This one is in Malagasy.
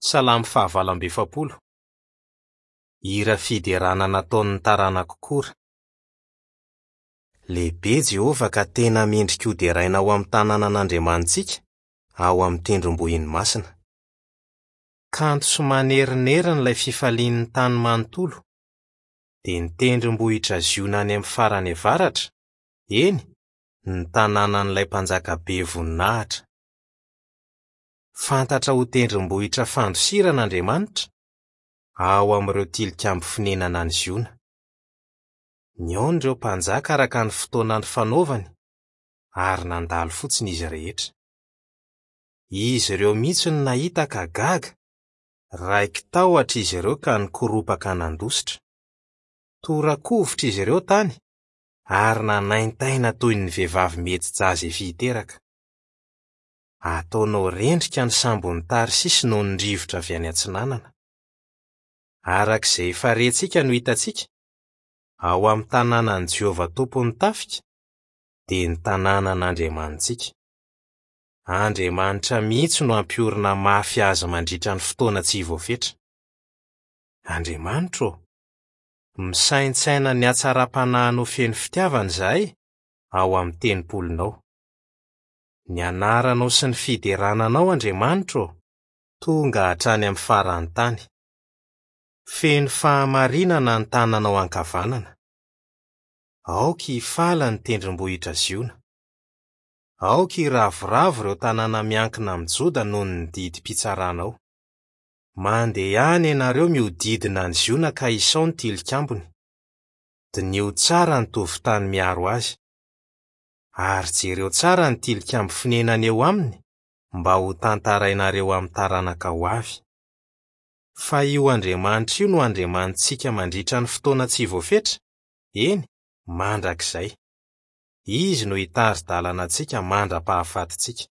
Salamo fahavalo amby 40. Hira fiderana nataon'ny taranak'i Kora. Lehibe Jehovah ka tena mendrika hoderaina ao amin'ny tanànan'Andriamanitsika, ao amin'ny tendrombohiny masina. Kanto sy manerinerina ilay fifalian'ny tany manontolo, dia ny tendrombohitra Ziona any amin'ny farany avaratra, eny, ny tanànan'ilay Mpanjaka be voninahitra. Fantatra ho tendrombohitra fandosirana Andriamanitra, ao amin'ireo tilikambo fonenana any Ziona. Nihaona ireo mpanjaka araka ny fotoana nifanaovany, ary nandalo fotsiny izy rehetra. Izy ireo mihitsy no nahita ka gaga, raiki-tahotra izy ireo ka nikoropaka nandositra. Tora-kovitra izy ireo tany, ary nanaintaina toy ny vehivavy mihetsy-jaza efa hiteraka. Ataonao rendrika ny sambon'i Tarsisy noho ny rivotra avy any atsinanana. Araka izay efa rentsika no hitantsika, ao amin'ny tanànan'i Jehovah Tompon'ny tafika, dia ny tanànan'Andriamanitsika. Andriamanitra mihitsy no hampiorina mafy azy mandritra ny fotoana tsy voafetra. Andriamanitra ô, misaintsaina ny hatsaram-panahinao feno fitiavana izahay ao amin'ny tempolinao. Ny anaranao sy ny fiderana anao, Andriamanitra ô, tonga hatrany amin'ny faran'ny tany. Feno fahamarinana ny tananao ankavanana. Aoka hifaly ny tendrombohitra Ziona. Aoka hiravoravo ireo tanàna miankina amin'i Joda noho ny didim-pitsaranao. Mandehana ianareo mihodidina an'i Ziona ka isao ny tilikambony. Diniho tsara ny tovon-tany miaro azy. Ary jereo tsara ny tilikambo fonenana eo aminy mba ho tantarainareo amin'ny taranaka ho avy. Fa io Andriamanitra io no Andriamanitsika mandritra ny fotoana tsy voafetra, eny, mandrakizay. Izy no hitari-dalana antsika mandra-pahafatintsika.